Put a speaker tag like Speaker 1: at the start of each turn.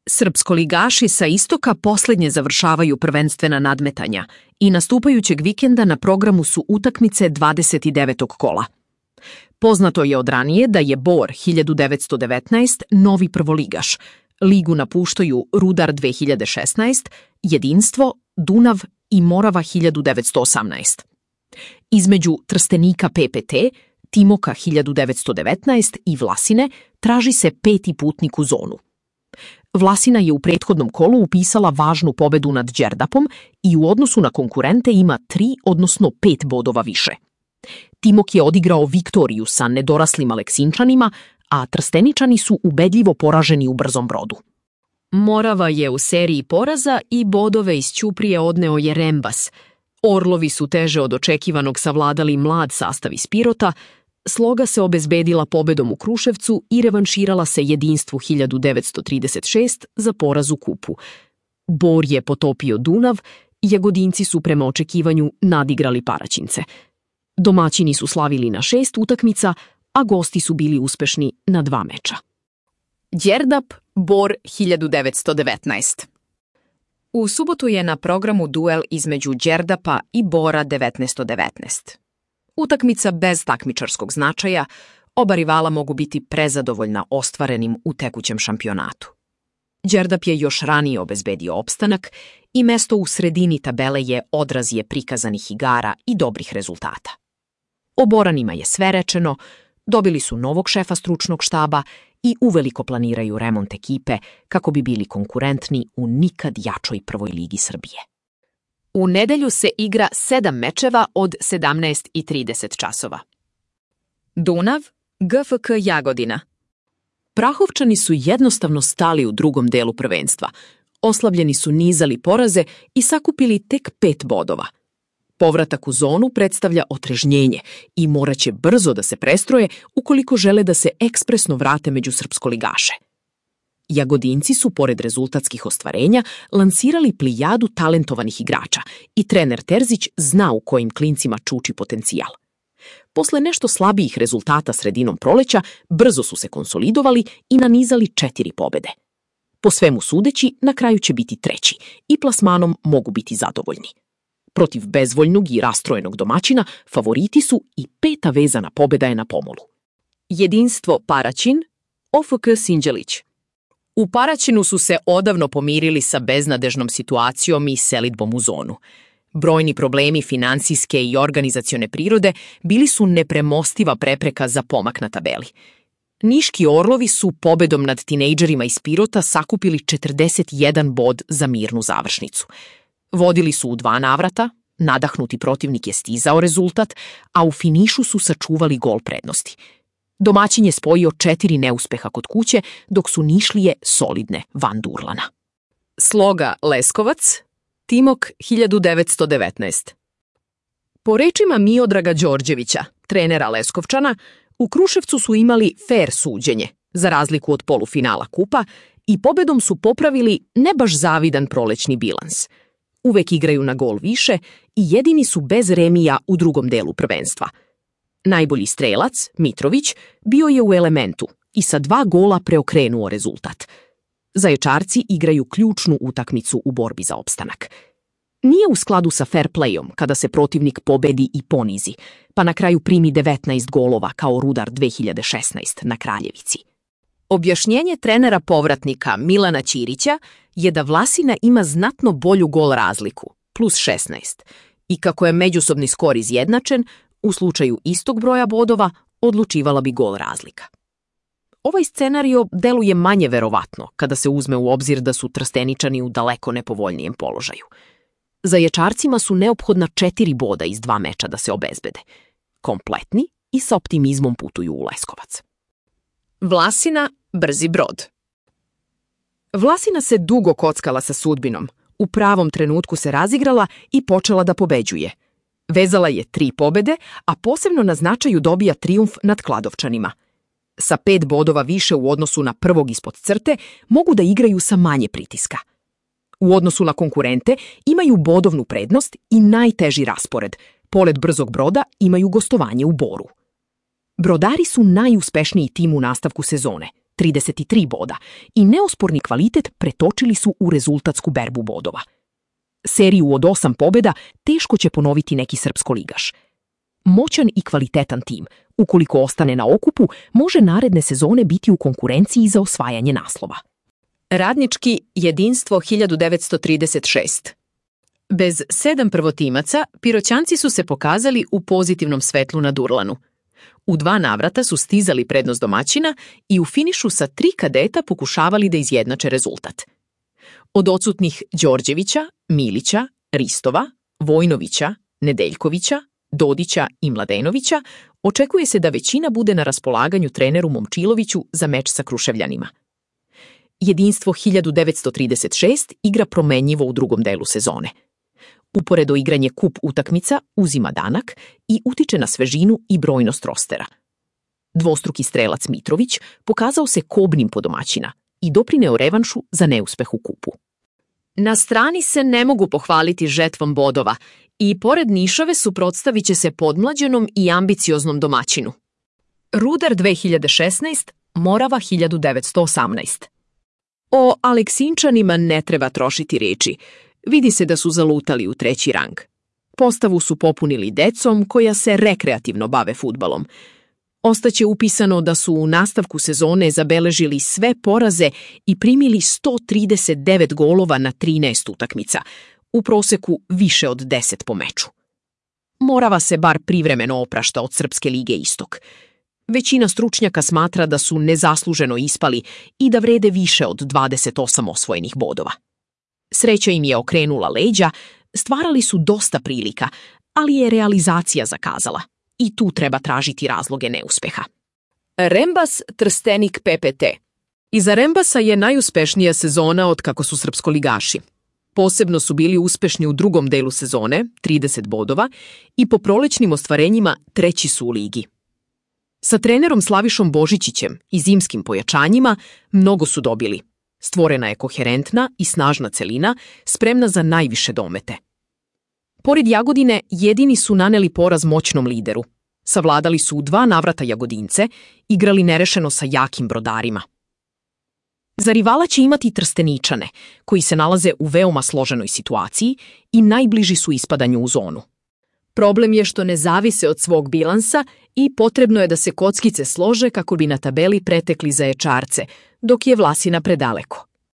Speaker 1: Srpskoligaši sa istoka posljednje završavaju prvenstvena nadmetanja i nastupajućeg vikenda na programu su utakmice 29. kola. Poznato je od ranije da je Bor 1919 novi prvoligaš. Ligu napuštaju Rudar 2016, Jedinstvo, Dunav i Morava 1918. Između Trstenika PPT, Timoka 1919 i Vlasine traži se 5. putnik u zonu. Vlasina je u prethodnom kolu upisala važnu pobedu nad Đerdapom i u odnosu na konkurente ima 3, odnosno 5 bodova više. Timok je odigrao viktoriju sa nedoraslim Aleksinčanima, a Trsteničani su ubedljivo poraženi u Brzom Brodu. Morava je u seriji poraza i bodove iz Ćuprije odneo je Rembas. Orlovi su teže od očekivanog savladali mlad sastav iz Pirota, Sloga se obezbedila pobedom u Kruševcu i revanširala se Jedinstvu 1936 za poraz u kupu. Bor je potopio Dunav, Jagodinci su prema očekivanju nadigrali Paraćince. Domaćini su slavili na 6 utakmica, a gosti su bili uspešni na 2 meča. Đerdap, Bor 1919. U subotu je na programu duel između Đerdapa i Bora 1919. Utakmica bez takmičarskog značaja, oba rivala mogu biti prezadovoljna ostvarenim u tekućem šampionatu. Đerdap je još ranije obezbedio opstanak i mesto u sredini tabele je odraz prikazanih igara i dobrih rezultata. O Boranima je sve rečeno, dobili su novog šefa stručnog štaba i uveliko planiraju remont ekipe kako bi bili konkurentni u nikad jačoj prvoj ligi Srbije. U nedelju se igra 7 mečeva od 17:30 časova. Dunav, GFK Jagodina. Prahovčani su jednostavno stali u drugom delu prvenstva. Oslavljeni su nizali poraze i sakupili tek 5 bodova. Povratak u zonu predstavlja otrežnjenje i moraće brzo da se prestroje ukoliko žele da se ekspresno vrate među srpskoligaše. Jagodinci su, pored rezultatskih ostvarenja, lansirali plijadu talentovanih igrača i trener Terzić zna u kojim klincima čuči potencijal. Posle nešto slabijih rezultata sredinom proleća, brzo su se konsolidovali i nanizali 4 pobede. Po svemu sudeći, na kraju će biti 3. i plasmanom mogu biti zadovoljni. Protiv bezvoljnog i rastrojenog domaćina favoriti su i 5. vezana pobeda je na pomolu. Jedinstvo Paraćin, OFK Sinđelić. U Paraćinu su se odavno pomirili sa beznadežnom situacijom i selidbom u zonu. Brojni problemi finansijske i organizacione prirode bili su nepremostiva prepreka za pomak na tabeli. Niški Orlovi su pobedom nad tinejdžerima iz Pirota sakupili 41 bod za mirnu završnicu. Vodili su u 2 navrata, nadahnuti protivnik je stizao rezultat, a u finišu su sačuvali gol prednosti. Domaćin je spojio 4 neuspeha kod kuće, dok su Nišlije solidne van Durlana. Sloga Leskovac, Timok 1919. Po rečima Miodraga Đorđevića, trenera Leskovčana, u Kruševcu su imali fer suđenje, za razliku od polufinala kupa, i pobedom su popravili ne baš zavidan prolećni bilans. Uvek igraju na gol više i jedini su bez remija u drugom delu prvenstva. Najbolji strelac, Mitrović, bio je u elementu i sa 2 gola preokrenuo rezultat. Zaječarci igraju ključnu utakmicu u borbi za opstanak. Nije u skladu sa fair playom kada se protivnik pobedi i ponizi, pa na kraju primi 19 golova kao Rudar 2016 na Kraljevici. Objašnjenje trenera povratnika Milana Ćirića je da Vlasina ima znatno bolju gol razliku, plus 16, i kako je međusobni skor izjednačen, u slučaju istog broja bodova odlučivala bi gol razlika. Ovaj scenario deluje manje verovatno kada se uzme u obzir da su Trsteničani u daleko nepovoljnijem položaju. Zaječarcima su neophodna 4 boda iz 2 meča da se obezbede. Kompletni i sa optimizmom putuju u Leskovac. Vlasina, Brzi Brod. Vlasina se dugo kockala sa sudbinom, u pravom trenutku se razigrala i počela da pobeđuje. Vezala je 3 pobede, a posebno na značaju dobija trijumf nad Kladovčanima. Sa 5 bodova više u odnosu na prvog ispod crte mogu da igraju sa manje pritiska. U odnosu na konkurente imaju bodovnu prednost i najteži raspored. Pored Brzog Broda imaju gostovanje u Boru. Brodari su najuspešniji tim u nastavku sezone. 33 boda, i neosporni kvalitet pretočili su u rezultatsku berbu bodova. Seriju od 8 pobjeda teško će ponoviti neki srpskoligaš. Moćan i kvalitetan tim, ukoliko ostane na okupu, može naredne sezone biti u konkurenciji za osvajanje naslova. Radnički jedinstvo 1936. Bez 7 prvotimaca, Piroćanci su se pokazali u pozitivnom svetlu na Durlanu. U 2 navrata su stizali prednost domaćina i u finišu sa 3 kadeta pokušavali da izjednače rezultat. Od odsutnih Đorđevića, Milića, Ristova, Vojnovića, Nedeljkovića, Dodića i Mladenovića očekuje se da većina bude na raspolaganju treneru Momčiloviću za meč sa Kruševljanima. Jedinstvo 1936 igra promenjivo u drugom delu sezone. Uporedo igranje kup utakmica uzima danak i utiče na svežinu i brojnost rostera. Dvostruki strelac Mitrović pokazao se kobnim po domaćina i doprineo revanšu za neuspeh u kupu. Na strani se ne mogu pohvaliti žetvom bodova i pored Nišave suprotstavit će se podmlađenom i ambicioznom domaćinu. Rudar 2016, Morava 1918. O Aleksinčanima ne treba trošiti riječi. Vidi se da su zalutali u 3. rang. Postavu su popunili decom koja se rekreativno bave fudbalom. Ostaće upisano da su u nastavku sezone zabeležili sve poraze i primili 139 golova na 13 utakmica, u proseku više od 10 po meču. Morava se bar privremeno oprašta od Srpske lige Istok. Većina stručnjaka smatra da su nezasluženo ispali i da vrede više od 28 osvojenih bodova. Sreća im je okrenula leđa, stvarali su dosta prilika, ali je realizacija zakazala i tu treba tražiti razloge neuspeha. Rembas Trstenik PPT. Iza Rembasa je najuspešnija sezona od kako su srpskoligaši. Posebno su bili uspešni u drugom delu sezone, 30 bodova, i po prolećnim ostvarenjima 3. su u ligi. Sa trenerom Slavišom Božićićem i zimskim pojačanjima mnogo su dobili. Stvorena je koherentna i snažna celina, spremna za najviše domete. Pored Jagodine, jedini su naneli poraz moćnom lideru. Savladali su u 2 navrata Jagodince, igrali nerešeno sa jakim Brodarima. Za rivala će imati Trsteničane, koji se nalaze u veoma složenoj situaciji i najbliži su ispadanju u zonu. Problem je što ne zavise od svog bilansa i potrebno je da se kockice slože kako bi na tabeli pretekli Zaječarce, dok je Vlasina predaleko.